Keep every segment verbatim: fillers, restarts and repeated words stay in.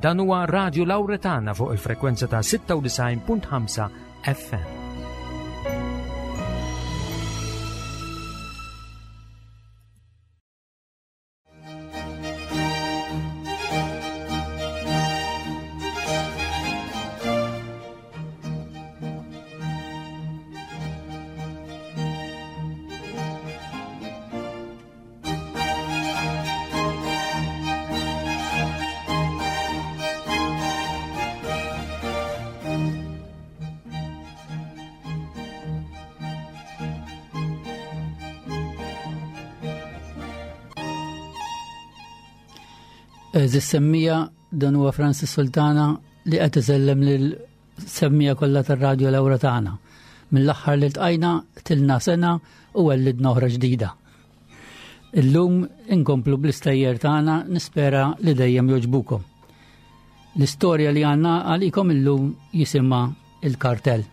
Dan huwa Radio Lauretana fuq il-frekwenza ta' sitta u disgħin punt ħamsa F M. Għeżież semmiegħa, dan huwa Francis Sultana li qed isellem lil semmiegħa kollha tar-Radio Lauretana. Mill-aħħar li ltqajna tilna sena u wellidna oħra ġdida. Illum inkomplu bl-istejjer tagħna, nispera li dejjem jogħġbukom. L-istorja li għandna għalikom illum jisimha Il-Kartell.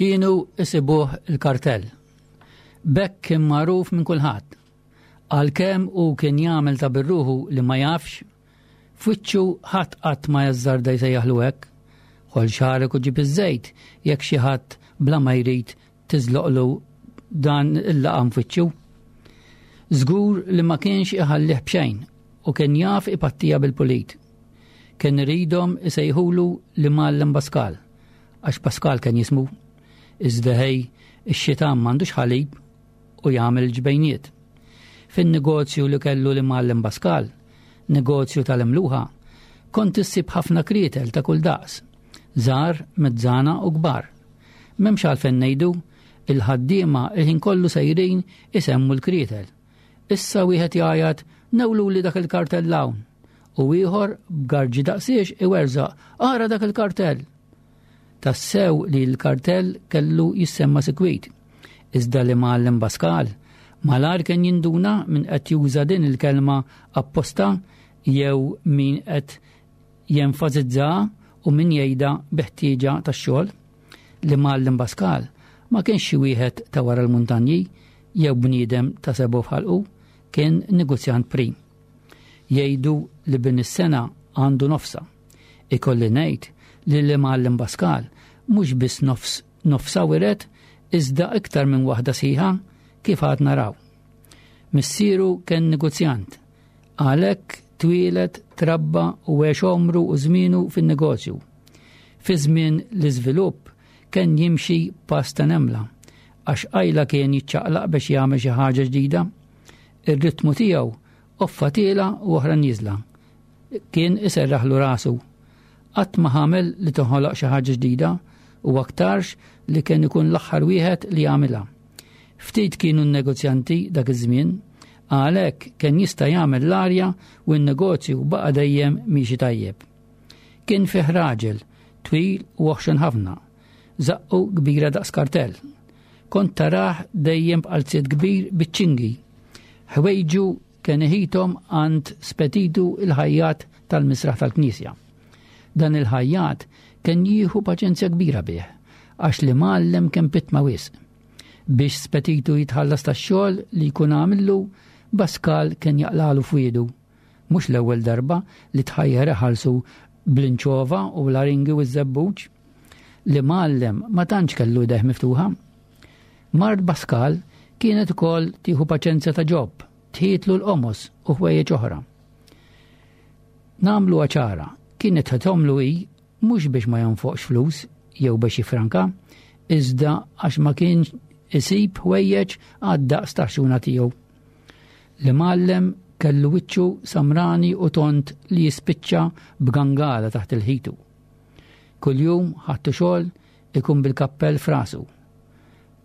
Kienu isibuh il-Kartell. B'hekk kien magħruf minn kulħadd. Għalkemm u kien jagħmel ta' birruħu li ma jafx, f'wiċċu ħadd qatt ma jażżarda jsejjaħlu hekk. Ħoll xagħrek u ġib iż-żejt jekk xi ħadd bla ma jrid tiżloqlu dan il-laqam f'wiċċu. Żgur li ma kienx iħallih b'xejn u kien jaf ipattija bil-pulit. Kien iridhom isejħulu l-Imgħallem Pascal, għax Pascal kien jismu. Iżda ħej, ix-xitan m'għandux ħalib u jagħmel ġbejniet. Fin-negozju li kellu l-Imgħallem Pascal, negozju tal-imluħa, kont issib ħafna krietel ta' kull daqs, żgħar, mezzana u kbar. M'hemmx għalfejn ngħidu, il-ħaddiema il-ħin kollu sejrin isemmu l-krietel. Issa wieħed jgħajat, "Newlu li dak il-kartell hawn." U ieħor b'garġi daqsiex iwerżaq, "Ara dak il-kartell." Tassew li l-kartell kellu jissemma sikwit. Iżda l-Imgħallem Pascal, malajr kien jinduna min qed juża din il-kelma apposta jew min qed jenfasizza u min jgħidha bi ħtieġa tax-xogħol. L-Imgħallem Pascal ma kienx xi wieħed ta' wara l-muntanji jew bniedem ta' sebgħu f'ħalqu, kien negozjant prim. Jgħidu li bin is-sena għandu nofsa. Ikolli ngħid li l-Imgħallem Pascal mhux biss nofs nofsa wiret, iżda iktar minn waħda sħiħa, kif għad naraw. Missieru kien negozjant, għalhekk twieled, trabba u għex omru u żmienu fin-negozju. Fi żmien l-iżvilupp kien jimxi pass ta' nemla, għax qajla kien jiċċaqlaq biex jagħmel xi ħaġa ġdida. Ir-ritmu tiegħu offa tiela u oħra nieżla. Kien iserraħlu rasu. Qatt ma ħamel li toħoloq xi ħaġa ġdida u aktarx li kien ikun l-aħħar wieħed li jagħmilha. Ftit kienu n-negozjanti dak iż-żmien, għalhekk kien jista' jagħmel l-arja u n-negozju baqa' dejjem miexi tajjeb. Kien fih raġel, twil u oħxon ħafna, żaqqu kbira daqs kartell. Kont tarah dejjem b'qalziet kbir biċ-ċingi. Ħwejġu kien iħithom għand Spetitu il-ħajjat tal-misraħ tal-Knisja. Dan il-ħajjat kien jieħu paċenzja kbira bih, għax l-imgħallem kien pitma wisq. Biex Spetitu jitħallas tax-xogħol li jkun għamillu, Pascal kien jaqlalu fwiedu. Mhux l-ewwel darba li tħajjer iħallsu bl-inċova u l-aringi u ż-żebbuġ. L-imgħallem ma tantx kellu idejh miftuħa. Mart Pascal kienet ukoll tieħu paċenzja ta' Ġob, tħitlu l-qomos u ħwejjeġ oħra. Nagħmlu ċara, kienet tħithomlu hi mhux biex ma jonfoqx flus jew biex jifranka, iżda għax ma kien isib ħwejjeġ għad-daqs tax-xuna tiegħu. L-imgħallem kellu wiċċu samrani u tont li jispiċċa b'gangala taħt il-ħitu. Kuljum ħattu xogħol ikun bil-kappell f'rasu.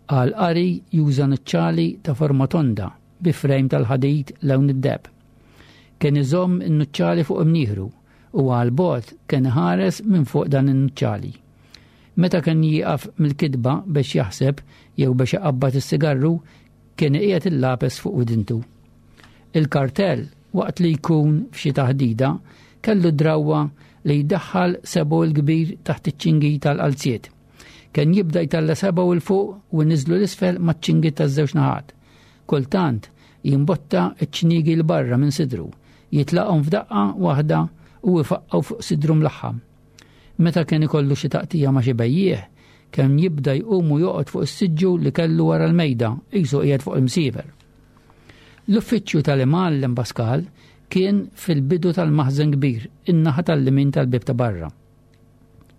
Għal qari juża nuċċali ta' forma tonda bi frame tal-ħadid lewn id-deheb. Kien iżomm in-nuċċali fuq imnieħru u għal bogħod kien ħares minn fuq dan in-nuċċali. Meta kien jieqaf mill-kitba biex jaħseb jew biex iqabbad is-sigarru, kien iqiegħed il-lapes fuq widintu. Il-Kartell waqt li jkun f'xi taħdida, kellu drawwa li jdaħħal sebgħu l-kbir taħt iċ-ċingi tal-qalziet. Kien jibda jtalla' sebgħu 'l fuq u jniżżlu 'l isfel maċ-ċingi taż-żewġ naħat. Kultant jimbotta ċ-ċnigi 'l barra minn sidru, jitlaqhom f'daqqa waħda u jfaqqgħu fuq sidru mlaħħam. Meta kien ikollu xi taqtija ma' xi bejjiegħ, kien jibda jqum u joqgħod fuq is-siġġu li kellu wara l-mejda, qisu qiegħed fuq il-msiefer. L-uffiċċju tal-imgħallem Pascal kien fil-bidu tal-maħżen kbir, in-naħa tal-lemin tal-bieb ta' barra.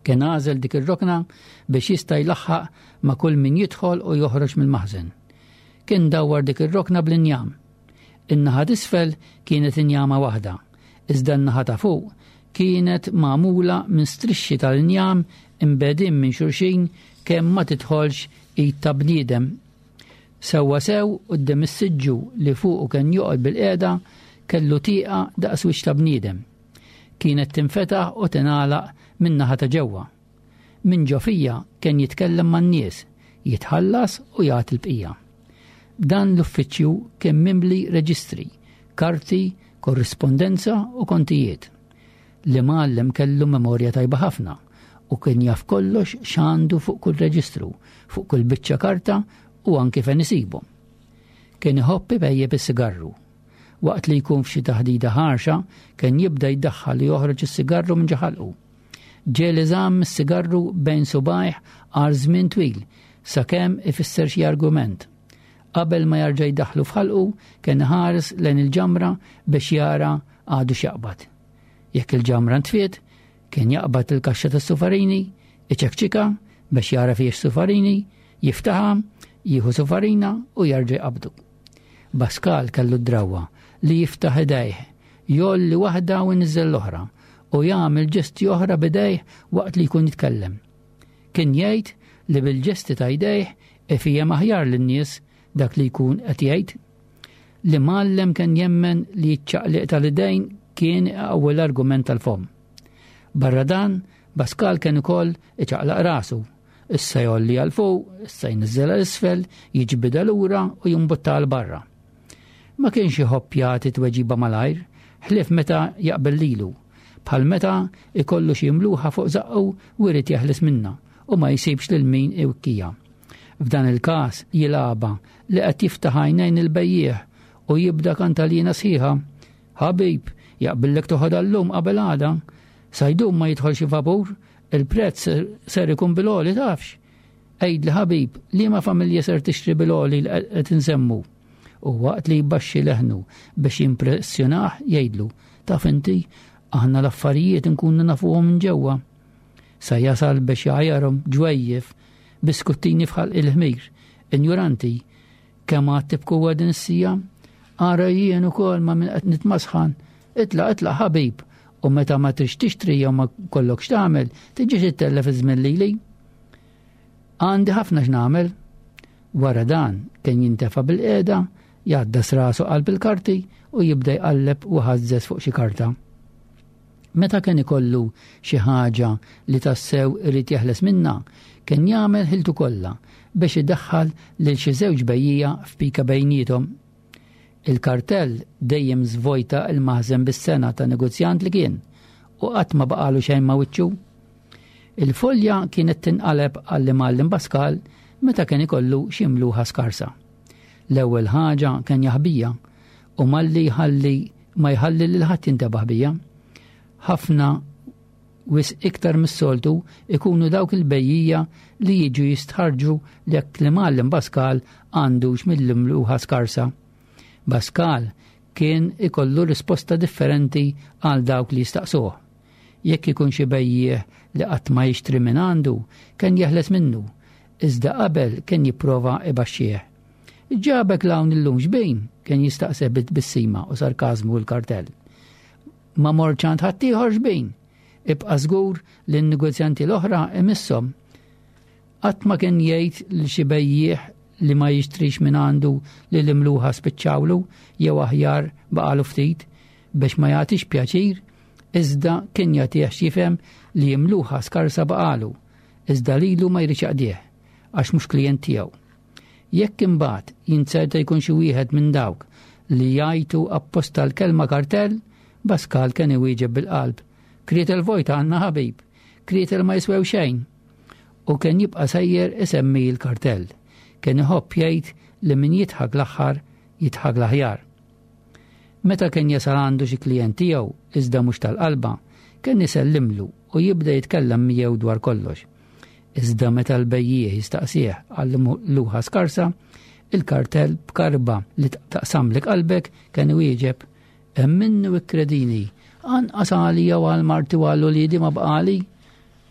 Kien għażel dik ir-rokna biex jista' jlaħħaq ma' kull min jidħol u joħroġ mill-maħżen. Kien dawwar dik ir-rokna bl-injam. In-naħa t'isfel kienet injama waħda, iżda n-naħa ta' fuq kienet magħmula minn strixxi tal-injam imbegħdin minn xulxin kemm ma tidħolx id ta' bniedem. Sewwa sew quddiem is-siġġu li fuqu kien joqgħod bil-qiegħda kellu tieqa daqs wiċċ ta' bniedem. Kienet tinfetaħ u tingħalaq min-naħa ta' ġewwa. Minn ġo fija kien jitkellem man-nies, jitħallas u jagħti l-bqija. Dan l-uffiċċju kien mimli reġistri, karti, korrispondenza u kontijiet. L-imgħallem kellu memorja tajba ħafna u kien jaf kollox x'għandu fuq kull reġistru, fuq kull biċċa karta u anki fejn isibu. Kien iħobb ipejjep is-sigarru. Waqt li jkun f'xi taħdida ħarxa, kien jibda jdaħħal li joħroġ is-sigarru minn ġo ħalqu. Ġieli żamm is-sigarru bejn subgħajh għal żmien twil sakemm ifisser xi argument. Qabel ma jarġa' jdaħħlu f'ħalqu, kien iħares lejn il-ġamra biex jara għadu x'jaqbad. Jekk il-ġamra ntfiet, kien jaqbad il-kaxxa tas-sufarini, iċekċika biex jara fiex sufarini, jiftaħha, jieħu sufarina u jarġa' jqabdu. Pascal kellu d-drawwa li jiftaħ idejh, jgħolli waħda u jniżżel l-oħra u jagħmel ġesti oħra b'idejh waqt li jkun jitkellem. Kien jgħid li bil-ġesti ta' jdejh ifhem aħjar lin-nies dak li jkun qed jgħid. L-imgħallem kien jemmen li ċ-ċaqliq tal-idejn kien ewwel argument tal-fomm. Barra dan, Pascal kien ukoll iċaqlaq rasu. Issa jgħolli għal fuq, issa jniżżel għal isfel, jiġbidha lura u jimbutta għal barra. Ma kienx iħobb jagħti tweġiba malajr, ħlief meta jaqbel lilu, bħal meta ikollu xi mluħa fuq żaqqu u jrid jeħles minnha u ma jsibx lil min iwikkija. F'dan il-każ jilgħabha li qed jiftaħ għajnejn il-bejjiegħ u jibda kantalina sħiħa. Ħabib, jaqbillek toħodha llum qabel għada. Sa jdum ma jidħol xi vapur, il-prezz ser ikun bil-għoli tafx. Għidli ħabib, liema familja ser tixtri bil-għoli li qed insemmu. U waqt li jbaxxi leħnu biex jimpressjonah jgħidlu, taf inti, aħna l-affarijiet nkunu nafuhom minn ġewwa. Sa jasal biex jgħajarhom ġwejjef, biskuttini f'ħalq il-ħmir, injuranti, kemm għad tibku din is-sija? Ara jien ukoll ma' min qed nitmasħan. Itlaq, itlaq ħabib, u meta ma trix tixtri jew ma kollok x'tagħmel, tiġix ittellef iż-żmien lili. Għandi ħafna x'nagħmel. Wara dan kien jintefa' bil-qiegħda, jgħaddas rasu qalb il-karti u jibda jqalleb u ħażżeż fuq xi karta. Meta kien ikollu xi ħaġa li tassew irid jeħles minnha, kien jagħmel ħiltu kollha biex idaħħal lil xi żewġ bejjiegħa f'pika bejniethom. Il-kartell dejjem żvojta il-maħżen bis-sena ta' negozjant li kien u qatt ma baqalu xejn ma' wiċċu. Il-folja kienet tinqaleb għall-imgħallem Pascal meta kien ikollu xi mluħa skarsa. L-ewwel ħaġa kien jaħbija u malli jħalli ma jħalli lil ħadd jintebaħ bija. Ħafna wisq iktar mis-soltu ikunu dawk il-bejjiegħa li jiġu jistħarġu jekk l-imgħallem Pascal għandux mill-imluħa skarsa. Pascal kien ikollu risposta differenti għal dawk li jistaqsuh. Jekk ikun xi bejjiegħ li qatt ma jixtri minn għandu, kien jeħles minnu, iżda qabel kien jipprova ibaxxih. Ġabek 'l hawn illum xbejn, kien jistaqseh bit-tbissima u sarkażmu l-kartell. Ma mortx għand ħaddieħor xbejn, ibqa' żgur li n-negozjanti l-oħra imisshom. Qatt ma kien jgħid li xi bejjiegħ li ma jixtrix minn għandu li l-imluħa spiċċawlu jew aħjar baqalu ftit biex ma jagħtix pjaċir, iżda kien jagħtih x'jifhem li imluħa skarsa baqalu, iżda lilu ma jridx jaqdih għax mhux klijent tiegħu. Jekk imbagħad jinzerta jkun xi wieħed minn dawk li jgħajtu apposta l-kelma kartell, Pascal kien iwieġeb bil-qalb. Krietel vojta għandna ħabib, krietel ma jiswew xejn. U kien jibqa' sejjer isemmi l-kartell. Kien iħobb jgħid li min jidħak l-aħħar jidħak l-aħjar. Meta kien jasal għandu xi klijent tiegħu iżda mhux tal-qalba, kien isellimlu u jibda jitkellem miegħu dwar kollox. Iżda meta l-bejjiegħ jistaqsih għal luħa skarsa, il-kartell b'karba li taqsamlek qalbek kien iwieġeb hemm minnu ikkredini, anqas għalija u għal marti u għal uliedi ma bqali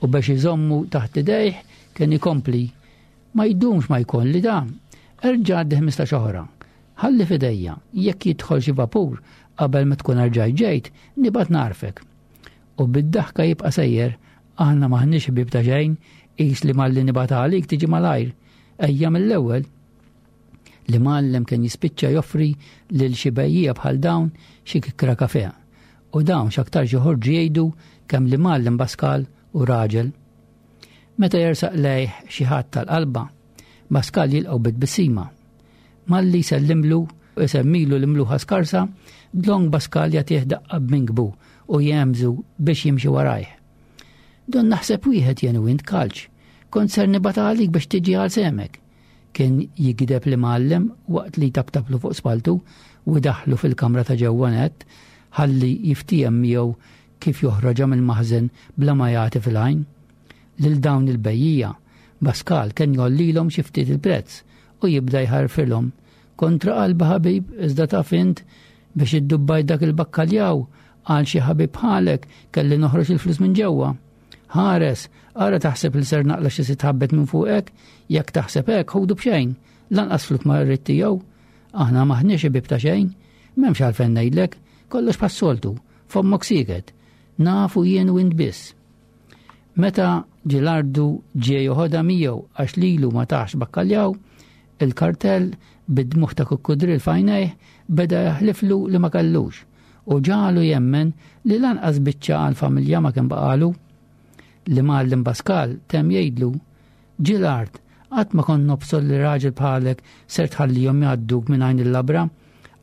u biex iżommu taħt idejh kien ikompli. Ma jdumx ma jkolli da, erġa' għaddi ħmistax oħra. Ħalli f'idejja, jekk jidħol xi vapur qabel ma tkun erġajt ġejt, nibgħat narfek. U bid-daħka jibqa' sejjer, aħna maħniex ħbieb ta' xejn, qis li malli nibgħat għalik tiġi malajr. Ejja mill-ewwel. L-imgħallem kien jispiċċa joffri lil xi bejjiegħa bħal dawn xi kikra kafè. U dawn x'aktarx joħorġu jgħidu kemm l-imgħallem Pascal u raġel. Meta jersaq lejh xi ħadd tal-qalba, Pascal jilqgħu bit-tbissima. Malli jsellimlu u jsemmilu l-imluħa skarsa, dlonk Pascal jagħtih daqqa b'minkbu u jemżu biex jimxi warajh. Don naħseb wieħed jien u int kalċ, kont ser nibgħat għalik biex tiġi għal semek. Kien jigdeb l-imgħallem waqt li taptaplu fuq spaltu u daħlu fil-kamra ta' ġewwa nett ħalli jiftiehem miegħu kif joħroġha mill-maħżen bla ma jagħti fil-għajn. Lil dawn il-bejjiegħa, Pascal kien jgħollilhom xi ftit il-prezz u jibda jħarfilhom. Kontra qalba ħabib, iżda taf int biex iddubbaj dak il-bakkaljaw għal xi ħabib bħalek kelli noħroġ il-flus minn ġewwa. Ħares, ara taħseb li ser naqla xi sitt ħabbet minn fuqek, jekk taħseb hekk ħudu b'xejn, lanqas fluk ma rrid tiegħu. Aħna maħniex ħbieb ta' xejn, m'hemmx għalfejn ngħidlek, kollox bħas-soltu, fommok sieket, nafu jien u int biss. Meta Ġilardu ġie joħodha miegħu għax lilu ma tax bakkaljaw, il-kartell bid-dmugħ ta' kukkudril f'għajnejh beda jaħliflu li ma kellux u ġalu jemmen li lanqas biċċa għal-familja ma kien baqalu. L-imgħallem Pascal temm jgħidlu, Ġilard, qatt ma kont nobsor li raġel bħalek ser tħallihom jgħadduk minn għajn il-labra,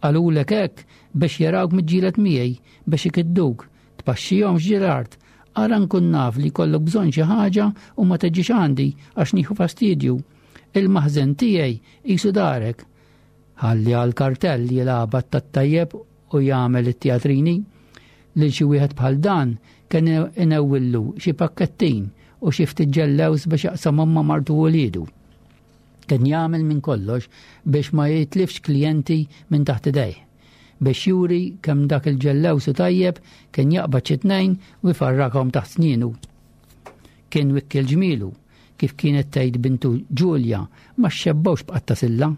qalulek hekk biex jarawk miġġielet miegħi biex ikidduk, tpaxxihomx Ġilard, ara nkun naf li jkollok bżonn xi ħaġa u ma tiġix għandi għax nieħu fastidju. Il-maħżen tiegħi qisu darek. Ħalli għal-kartell jilgħabha tat-tajjeb u jagħmel it-teatrini. Lil xi wieħed bħal dan kien inewwillu xi pakkettin u xi ftit ġellews biex jaqsamhom ma' martu u wliedu. Kien jagħmel minn kollox biex ma jitlifx klijenti minn taħt idejh. Biex juri kemm dak il-ġellews u tajjeb kien jaqbad xi tnejn u jfarrakhom taħt snienu. Kien wikkel ġmielu, kif kienet tgħid bintu Ġulja, ma xebbawx b'qatta silla.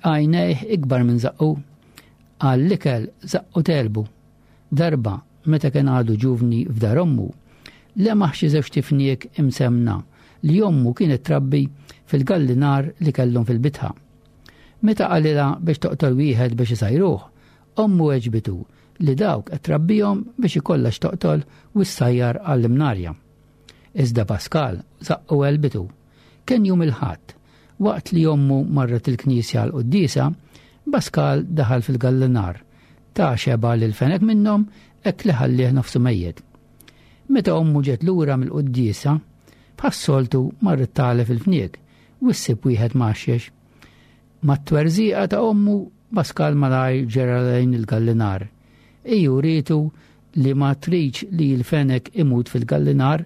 Għajnejh ikbar minn zaqqu. Għall-ikel zaqqu telbu. Darba, meta kien għadu ġuvni f'dar ommu, lemaħ xi żewġ tifniek imsemna li ommu kienet trabbi fil-gallinar li kellhom fil-bitħa. Meta qalilha biex toqtol wieħed biex isajruh, ommu weġbitu li dawk qed trabbihom biex ikollha x'toqtol u ssajjar għall-imnarja. Iżda Pascal zaqqu għelbitu. Kien jum il-Ħadd, waqt li ommu marret il-knisja għal quddiesa, Pascal daħal fil-gallinar, ta' xeba lil fenek minnhom hekk li ħallih nofsu mejjet. Meta ommu ġet lura mill-quddiesa, bħas-soltu marret tagħlef il-fniek u ssib wieħed mgħaxxex. Mat-twerżiqa ta' ommu Pascal malajr ġera lejn il-gallinar. Iju rietu li ma tridx li l-fenek imut fil-gallinar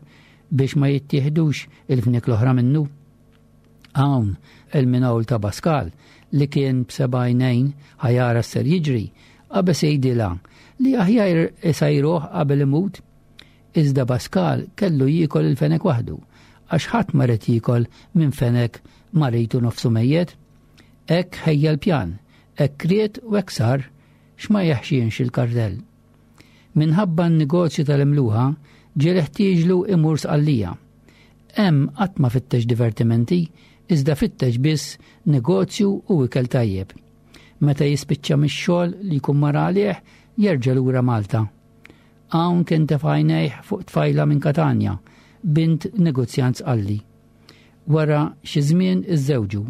biex ma jittieħdux il-fniek l-oħra minnu. Hawn il-minawl ta' Pascal li kien b'seba' għajnejn ħajara ser jiġri, qabeż jgħidilha li aħjar isajruh qabel imut. Iżda Pascal kellu jiekol il-fenek waħdu, għax ħadd ma ried jiekol minn fenek maritu nofsu mejjet. Hekk ħejja l-pjan, hekk ried u hekk sar, x'ma jeħxienx il-kartell. Minħabba n-negozju tal-imluħa ġie ħtieġlu imur Sqallija. Hemm qatt ma fittex divertimenti, iżda fittex biss negozju u ikel tajjeb. Meta jispiċċa mix-xogħol li jkun mar għalih, jerġa' lura Malta. Hawn kien tefa' għajnejh fuq tfajla minn Katanja, bint negozjant Sqalli. Wara xi żmien iżżewġu.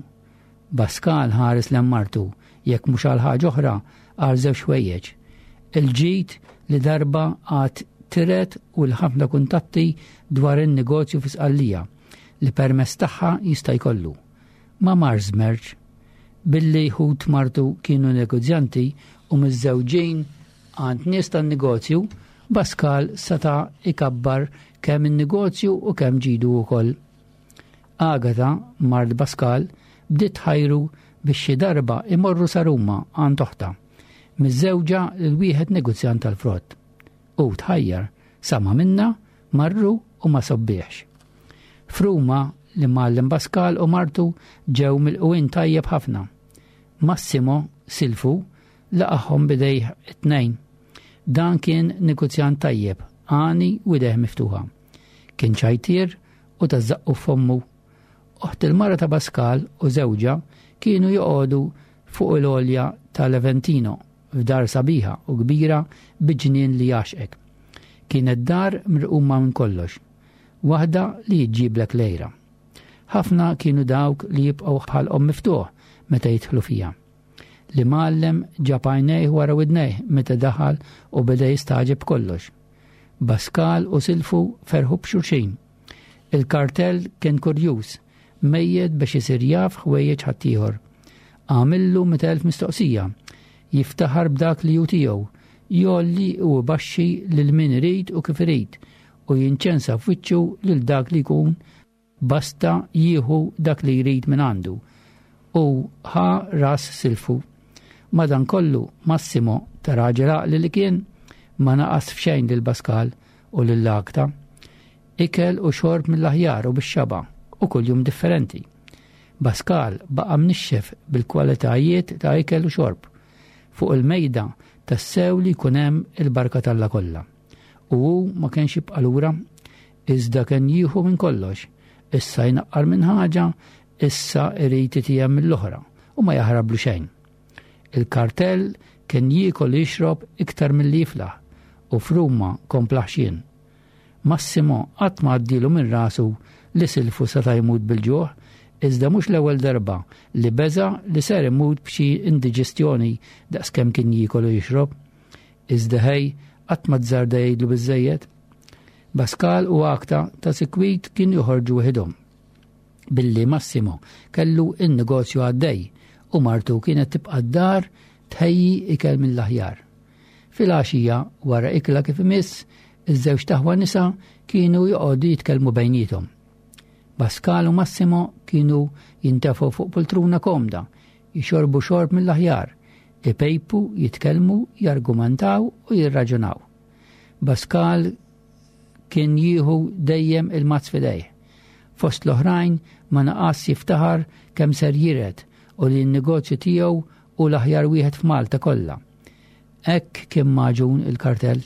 Pascal ħares lejn martu, jekk mhux għal ħaġa oħra, għal żewġ ħwejjeġ. Il-ġid li darba għad tiret u l-ħafna kuntatti dwar in-negozju fi Sqallija li permezz tagħha jista' jkollu. Ma mar żmerġ billi ħut martu kienu negozjanti u miżżewġin għand nies tan-negozju, Pascal seta' ikabbar kemm in-negozju u kemm ġidu wkoll. Agata, mart Pascal, bdiet tħajru biex xi darba imorru sa Ruma għand oħtha, miżżewġa lil wieħed negozjant tal-frott. U tħajjar, sama minna, marru u ma sobbiex. F'Ruma l-imgħallem Pascal u martu ġew milqugħin tajjeb ħafna. Massimo silfu laqagħhom b'idejh it-tnejn. Dan kien negozjant tajjeb, għani u idejh miftuħa. Kien ċajtier u ta' żaqqu f'fommu. Oħt il-mara ta' Pascal u żewġha kienu joqogħdu fuq il-għolja tal-Aventino f'dar sabiħa u kbira bi ġnien li jaxqek. Kienet dar mirquma minn kollox, waħda li jġiblek lejra. Ħafna kienu dawk li jibqgħu ħalqhom miftuħ meta jidħlu fiha. L-imgħallem ġab għajnejh wara widnejh meta daħal u beda jistagħġeb kollox. Pascal u silfu ferħu b'xulxin. Il-kartell kien kurjuż, mejjet biex isir jaf ħwejjeġ ħaddieħor. Għamillu mitt elf mistoqsija, jiftaħar b'dak li hu tiegħu, jgħolli u jbaxxi lil min irid u kif irid, u jinċensa f'wiċċu lil dak li jkun basta jieħu dak li jrid minn għandu. U ħa ras silfu. Madankollu Massimo ta' raġel għaqli li kien ma naqas f'xejn lil Pascal u lil Agata. Ikel u xorb mill-aħjar u bix-xaba u kuljum differenti. Pascal baqa' mnixxef bil-kwalitajiet ta' ikel u xorb. Fuq il-mejda tassew li jkun hemm il-barka t'Alla kollha. U hu ma kienx jibqa' lura, iżda kien jieħu minn kollox. Issa jnaqqar minn ħaġa, issa irid itijem mill-oħra u ma jaħrablu xejn. Il-kartell kien jiekol jixrob iktar milli jiflaħ u f'Ruma kompla ħxien. Massimo qatt ma għaddilu minn rasu li silfu seta' jmut bil-ġuħ, iżda mhux l-ewwel darba li beża li ser imut b'xi indiġestjoni daqskemm kien jiekol u jixrob. Iżda ħej qatt ma tżarda jgħidlu biżejjed. Pascal u Agata ta' sikwit kien joħorġu waħedhom. Billi Massimo kellu in-negozju għaddej u martu kienet tibqa' d-dar tħejji ikel mill-aħjar. Fil-għaxija wara ikla kif imiss, iż-żewġ taħwa nisa kienu joqogħdu jitkellmu bejniethom. Pascal u Massimo kienu jintefgħu fuq poltruna komda, jixorbu xorb mill-aħjar, ipejpu, jitkellmu, jargumentaw u jirraġunaw. Pascal kien jieħu dejjem il-mazz f'idejh. Fost l-oħrajn ma naqas jiftaħar kemm ser jiret u li n-negozju tiegħu u l-aħjar wieħed f'Malta kollha. Hekk kien maġun il-kartell.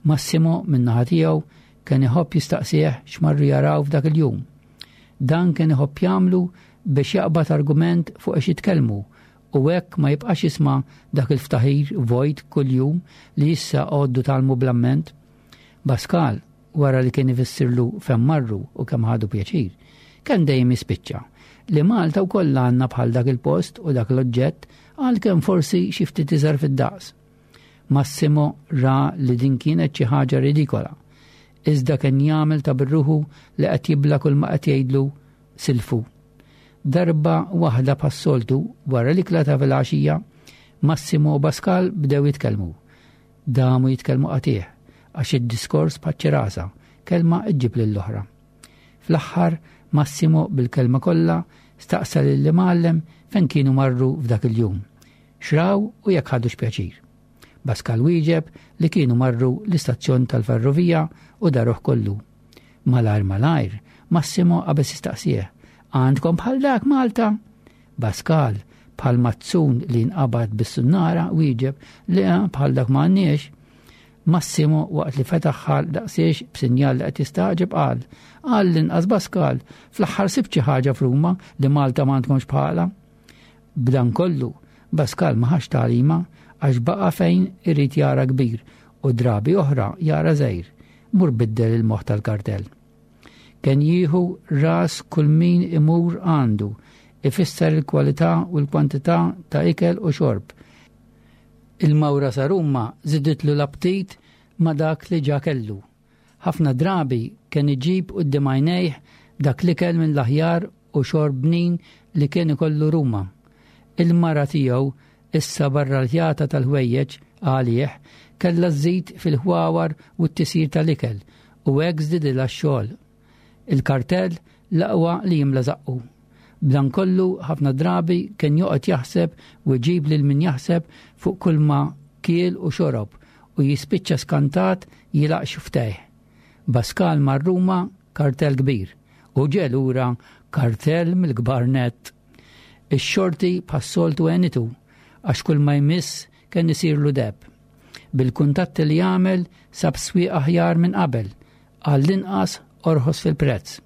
Massimo min-naħa tiegħu kien iħobb jistaqsih x'marru jaraw f'dak il-jum. Dan kien iħobb jagħmlu biex jaqbad argument fuq għax jitkellmu u hekk ma jibqax jisma' dak il-ftaħir vojt kuljum li issa għoddu talmu bl-amment. Pascal, wara li kien ifissirlu fejn marru u kemm ħadu pjaċir, kien dejjem jispiċċa li Malta wkoll għandna bħal dak il-post u dak l-oġġett għalkemm forsi xi ftit iżgħar fid-daqs. Massimo ra li din kienet xi ħaġa ridikola, iżda kien jagħmel ta' birruħu li qed jibla kull ma qed jgħidlu silfu. Darba waħda bħas-soltu wara l-ikla ta' filgħaxija, Massimo u Pascal bdew jitkellmu. Damu jitkellmu qatih għax id-diskors bħaċ-ċirasa, kelma iġġib lill-oħra. Fl-aħħar Massimo bil-kelma kollha staqsa lill-imgħallem fejn kienu marru f'dak il-jum. Xraw u jekk ħadux pjaċir. Pascal wieġeb li kienu marru l-istazzjon tal-ferrovija u daruh kollu. Malajr malajr, Massimo qabeż jistaqsih, għandkom bħal dak Malta? Pascal, bħal mazzun li nqabad bis-sunnara, wieġeb li bħal dak ma għandniex. Massimo waqt li fetaħ ħalq daqsiex b'sinjal li qed jistagħġeb qal, għall-inqas Pascal, fl-aħħar sibt xi ħaġa f'Ruma li Malta ma għandkomx bħala. B'dan kollu, Pascal ma ħax tagħlima għax baqa' fejn irid jara kbir u drabi oħra jara żgħir, mur biddel il-moħħ tal-kartell. Kien jieħu ras kull min imur għandu, ifisser il-kwalità u l-kwantità ta' ikel u xorb. Il-mawra sa Ruma żiditlu l-aptit ma' dak li ġa kellu. Ħafna drabi kien iġib quddiem għajnejh dak l-ikel minn l-aħjar u xorb bnin li kien ikollu Ruma. Il-mara tiegħu issa barra l-ħjata tal-ħwejjeġ għalih kellha żżid fil-ħwawar u t-tisir tal-ikel u hekk żdidilha x-xogħol. Il-kartell l-aqwa li jimla żaqqu. B'dan kollu ħafna drabi kien joqgħod jaħseb u jġib lil min jaħseb fuq kull ma kiel u xorob u jispiċċa skantat jilaq xuftejh. Baskal mar Ruma kartell kbir u ġie lura kartell mill-kbar nett. Ix-xorti bħas-soltu għenitu għax kull ma jmiss kien isirlu deb. Bil-kuntatti li jagħmel sab swieq aħjar minn qabel, għall-inqas orħos fil-prezz.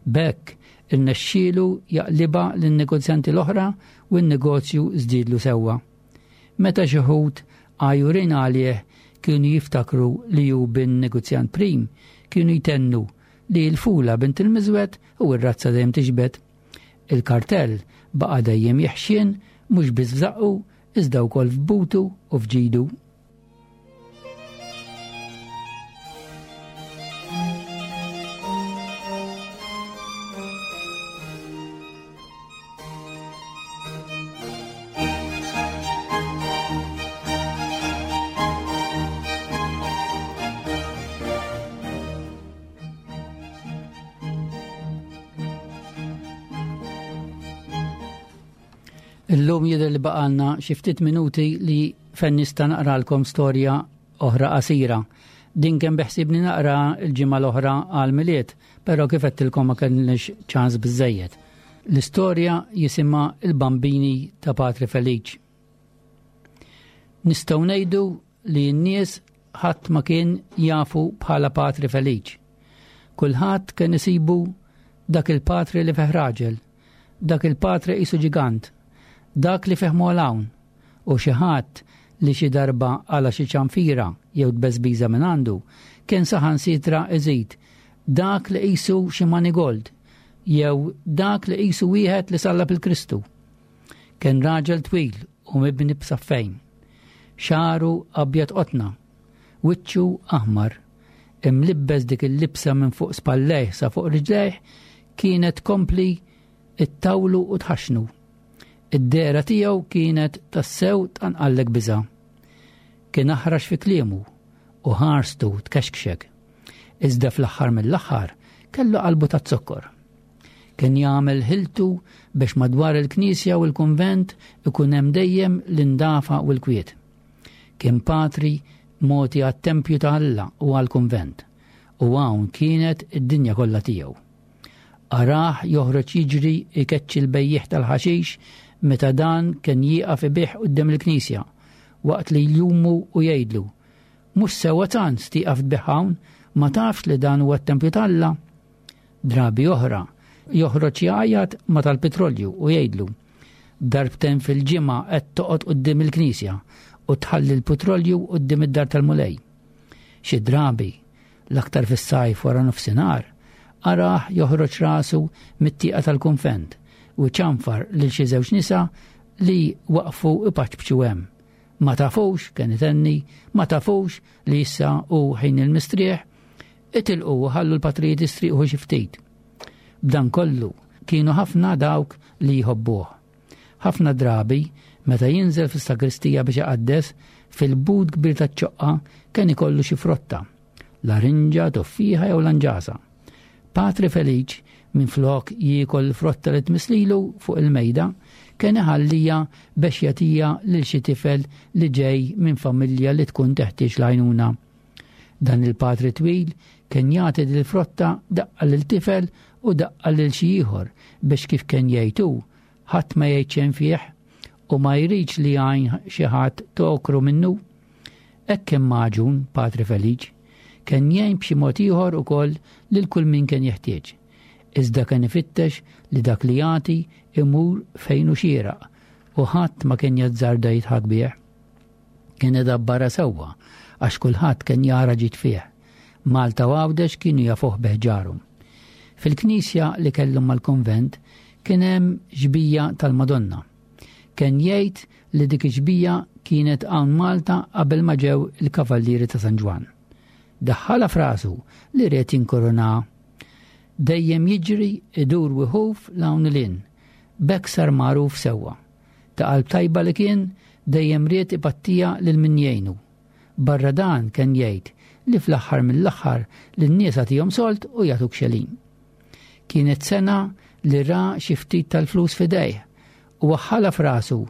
B'hekk irnexxielu jaqliba lin-negozjanti l-oħra u n-negozju żdiedlu sewwa. Meta xi wħud għajurin għalih kienu jiftakru li hu bin negozjant prim, kienu jtennu li l-fula bint il-miżwed u r-razza dejjem tixbet. Il-kartell baqa' dejjem jeħxien mhux biss f'żaqqu iżda wkoll f'butu u f'ġidu. Illum jidher li baqalna xi ftit minuti li fejn nista' naqralkom storja oħra qasira. Din kemm beħsibni naqra l-ġimgħa l-oħra għal Milied, però kif għedtilkom ma kellniex ċans biżżejjed. L-istorja jisimha Il-Bambini ta' Patri Feliċ. Nistgħu ngħidu li n-nies ħadd ma kien jafu bħala Patri Feliċ. Kulħadd kien isibu dak il-patri li fih raġel, dak il-patri qisu ġigant, dak li fih hawn, u xi ħadd li xi darba għala xi ċanfira jew tbeżbiża minn għandu, kien saħansitra iżid dak li qisu xi manigold jew dak li qisu wieħed li sallab il-Kristu. Kien raġel twil u mibni b'saffejn, xagħru abjad qotna, wiċċu aħmar, imlibbes dik il-libsa minn fuq spallejh sa fuq riġlejh kienet kompli it-tawlu u tħaxnu. Id-dehra tiegħu kienet tassew tqanqallek biża'. Kien aħrax fi kliemu u ħarstu tkexkxek. Iżda fl-aħħar mill-aħħar kellu qalbu taz-zokkor. Kien jagħmel ħiltu biex madwar il-knisja u l-kunvent ikun hemm dejjem l-indafa u l-kwiet. Kien patri mogħti għat-tempju ta' Alla u għall-kunvent, u hawn kienet id-dinja kollha tiegħu. Arah joħroġ jiġri ikeċċi l-bejjiegħ tal-ħaxix meta dan kien jieqaf ibih quddiem il-knisja, waqt li jlumu u jgħidlu: mhux sewwa tant tieqaf tbigħ hawn, ma tafx li dan huwa t-tempju t'Alla. Drabi oħra joħroġ jgħajjat ma tal-petrolju u jgħidlu: darbtejn fil-ġimgħa qed toqgħod quddiem il-knisja u tħalli l-petrolju quddiem id-dar tal-Mulej. Xi drabi, l-aktar fis-sajf wara nofsinhar, arah joħroġ rasu mit-tieqa tal-kunvent u ċanfar lil xi żewġ nisa li waqfu ipaċbċu hemm. Ma tafux, kien itenni, ma tafux li issa hu ħin il-mistrieħ, itilqu u ħallu l-patrijiet jistrieħu xi ftit. B'dan kollu kienu ħafna dawk li jħobbuh. Ħafna drabi, meta jinżel fis-sagristija biex iqaddes, fil-but kbir taċ-ċoqqa kien ikollu xi frotta, larinġa, toffieħa jew lanġasa. Patri Feliċ, minflok jiekol frotta li tmislilu fuq il-mejda, kien iħallija biex jagħtiha lil xi tifel li ġej minn familja li tkun teħtieġ l-għajnuna. Dan il-patri twil kien jagħti lil frotta daqqa lil tifel u daqqa lil xi ieħor biex kif kien jgħid hu, ħadd ma jgħid xejn fih u ma jridx li għajn xi ħadd tokru minnu. Hekk kien maġun Patri Feliċ, kien jgħin b'xi mod ieħor ukoll lil kull min kien jeħtieġ. Iżda kien ifittex li dak li jagħti imur fejn hu xieraq u ħadd ma kien jazzarda jidħak bih. Kien idabbara sewwa għax kulħadd kien jara ġid fih. Malta u Għawdex kienu jafuh beħġarhom. Fil-knisja li kellhom mal-konvent kien hemm xbija tal-Madonna. Kien jgħid li dik ix-xbija kienet hawn Malta qabel ma ġew il-Kavallieri ta' San Ġwann. Daħħalha f'rasu li ried jinkorona. Dejjem jiġri idur u jħuf 'l hawn 'l hinn. B'hekk sar magħruf sewwa. Ta' qalb tajba li kien, dejjem ried ipattija lil min jgħinu. Barra dan kien jgħid li fl-aħħar mill-aħħar lin-nies agħtihom sold u jagħtuk xelin. Kienet sena li ra xi ftit tal-flus f'idejh u waħħalha f'rasu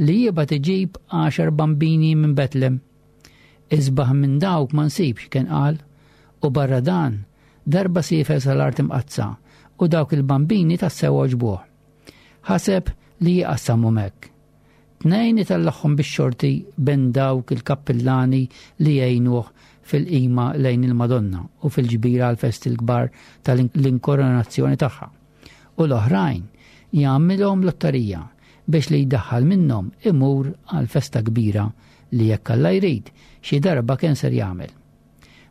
li jibgħat iġib għaxar bambini minn Betlem. Isbaħ minn dawk ma nsibx, kien qal, u barra dan darba siefer sal-Art Imqaddsa u dawk il-bambini tassew għoġbuh. Ħaseb li jqassamhom hekk. Tnejn itellagħhom bix-xorti bejn dawk il-kappillani li jgħinuh fil-qima lejn il-Madonna u fil-ġbira għal-festi l-kbar tal-inkoronazzjoni tagħha. U l-oħrajn jagħmilhom lotterija biex li jdaħħal minnhom imur għal festa kbira li jekk Alla jrid xi darba kien ser jagħmel.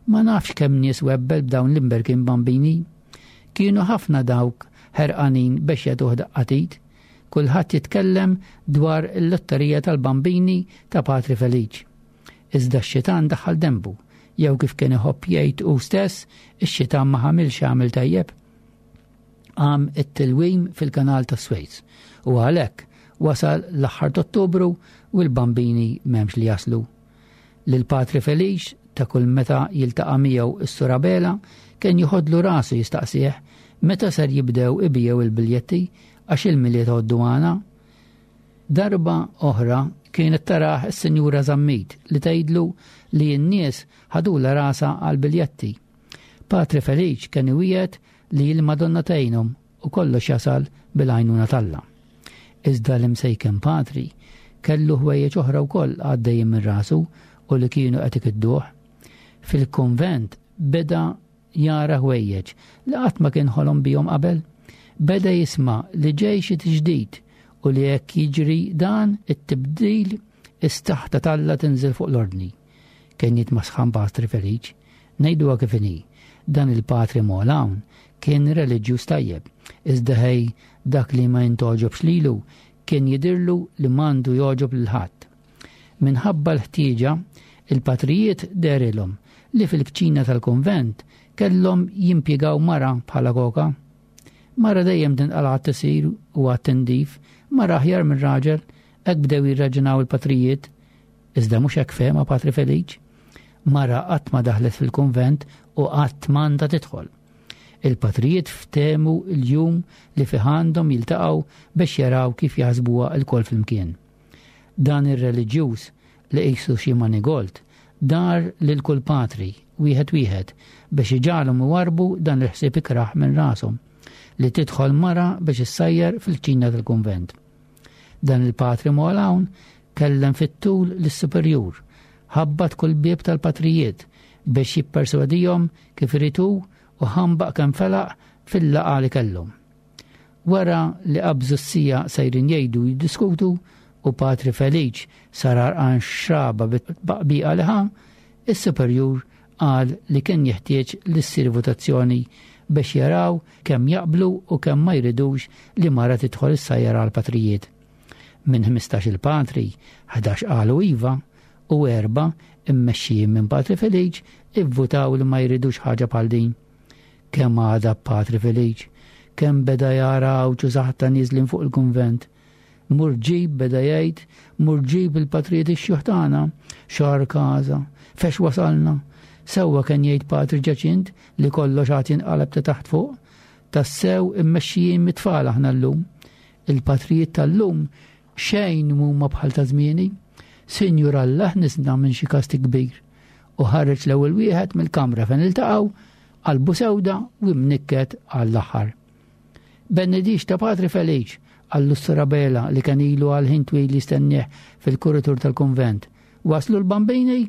Ma nafx kemm nies webbel b'dawn l-imberkin bambini. Kienu ħafna dawk ħerqanin biex jagħtuh daqqa t'id. Kulħadd jitkellem dwar il-lotterija tal-bambini ta' Patri Feliċ. Iżda x-xitan daħħal dembu, jew kif kien iħobb jgħid hu stess, ix-xitan ma ħamilx għamil tajjeb. Qam it-tilwim fil-kanal ta' Swejz u għalhekk wasal l-aħħar Ottubru u l-bambini m'hemmx li jaslu. Lil Patri Feliċ ta' kull meta jiltaqa' miegħu s-Sur Abela kien joħodlu rasu jistaqsih meta ser jibdew ibigħu il-biljetti għax il-Milied għoddu għana. Darba oħra kienet tarah is-Sinjura Zammit li tgħidlu li n-nies ħadula rasa għal-biljetti. Patri Feliċ kien iwiegħed li l-Madonna tgħinhom u kollox jasal bil-għajnuna t'Alla. Iżda l-imsejken Patri kellu ħwejjeġ oħra wkoll għaddejjin minn rasu u li kienu qed ikidduh. Fil-konvent beda jara ħwejjeġ li qatt ma kien ħolom bihom qabel. Beda jisma' li ġej xi tiġdid u li jekk jiġri dan it-tibdil is-saħta t'Alla tinżel fuq l-ordni. Kien jitmasħan Patri Feliċ, ngħiduha kif inhi. Dan il-Patri Molawn kien reliġjuż tajjeb, iżda ħej dak li ma jintgħoġobx lilu kien jidirlu li m'għandu jogħġob lil ħadd. Minħabba l-ħtieġa, il-patrijiet dehrilhom li fil-kċina tal-konvent kellhom jimpjegaw mara bħala koka. Mara dejjem tinqala għat-tisir u għat-tindif, mara aħjar minn raġel, hekk bdew jirraġunaw il-patrijiet. Iżda mhux hekk fehma Patri Feliċ. Mara qatt ma daħlet fil-konvent u qatt m'għandha tidħol. Il-patrijiet ftehmu l-jum li fih għandhom jiltaqgħu biex jaraw kif jaħsbuha lkoll flimkien. Dan ir-reliġjuż li qisu xi manigolt dar lil kull patri wieħed wieħed biex iġagħalhom iwarrbu dan il-ħsieb ikrah minn rashom li tidħol mara biex issajjar fil-kċina tal-kunvent. Dan il-Patri Molawn kellem fit-tul lis-superjur, ħabbat kull bieb tal-patrijiet biex jipperswadihom kif irid hu u ħambaq kemm felaq fil-laqgħa li kellhom. Wara li qabżu s-siegħa sejrin jgħidu jiddiskutu u Patri Feliċ sar għarqan xraba bit-tbaqbiqa li ħa, is-superjur qal li kien jeħtieġ li ssir votazzjoni biex jaraw kemm jaqblu u kemm ma jridux li mara tidħol issajjar għal patrijiet. Minn ħmistax il-patri, ħdax qalu iva u erba' immexxijin minn Patri Feliċ ivvutaw li ma jridux ħaġa bħal din. Kemm għada Patri Feliċ, kemm beda jara għawċu saħta niżlin fuq il-kunvent. Mur ġib beda jgħid, mur ġib il-patrijiet ix-xjuħ tagħna, xar każa, fex wasalna. Sewwa kien jgħid Patri Ġaċint li kollox għad jinqaleb ta' taħt fuq, tassew immexxijin mit-tfal aħna llum. Il-patrijiet tal-lum xejn mhuma bħal ta' żmieni. Sinjur Alla ħnisna minn xi kastig kbir. U ħareġ l-ewwel wieħed mill-kamra fejn iltaqgħu, qalbu sewda u mnikket għall-aħħar. Benedix ta' Patri Feliċ, qallu s-Sur Abela li kien ilu għal ħin twil jistennieh fil-kuritur tal-kunvent. Waslu l-bambini?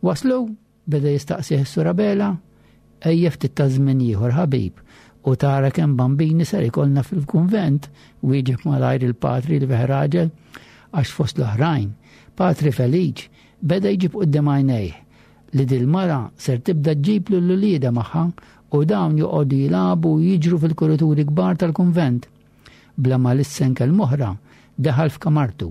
Waslu? Beda jistaqsih s-Sur Abela. Ejja ftit ta' żmien ieħor ħabib u tara kemm bambini ser ikollna fil-kunvent, wieġeb malajr il-patri li fih raġel, għax fost l-oħrajn. Patri Feliċ beda jġib quddiem għajnejh li dil-mara ser tibda ġġib lil uliedha magħha u dawn joqogħdu jilagħbu u jiġru fil-kurituri kbar tal-kunvent. Bla ma lissen kelma oħra, daħal f'kamartu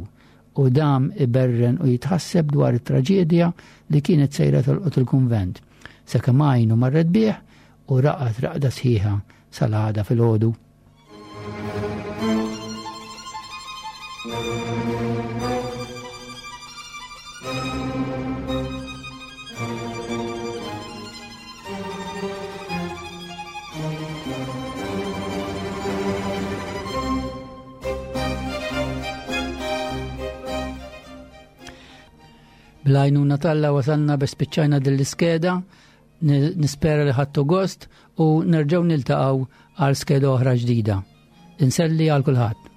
u dam iberren u jitħasseb dwar it-traġedja li kienet sejra tolqot il-kunvent. Sakemm għajnu marret bih u raqad raqda sħiħa sal-għada filgħodu. Bl-għajnuna t'Alla wasalna biex spiċċajna din l-iskeda, nispera li ħadtu gost u nerġgħu niltaqgħu għal skeda oħra ġdida. Inselli għal kulħadd.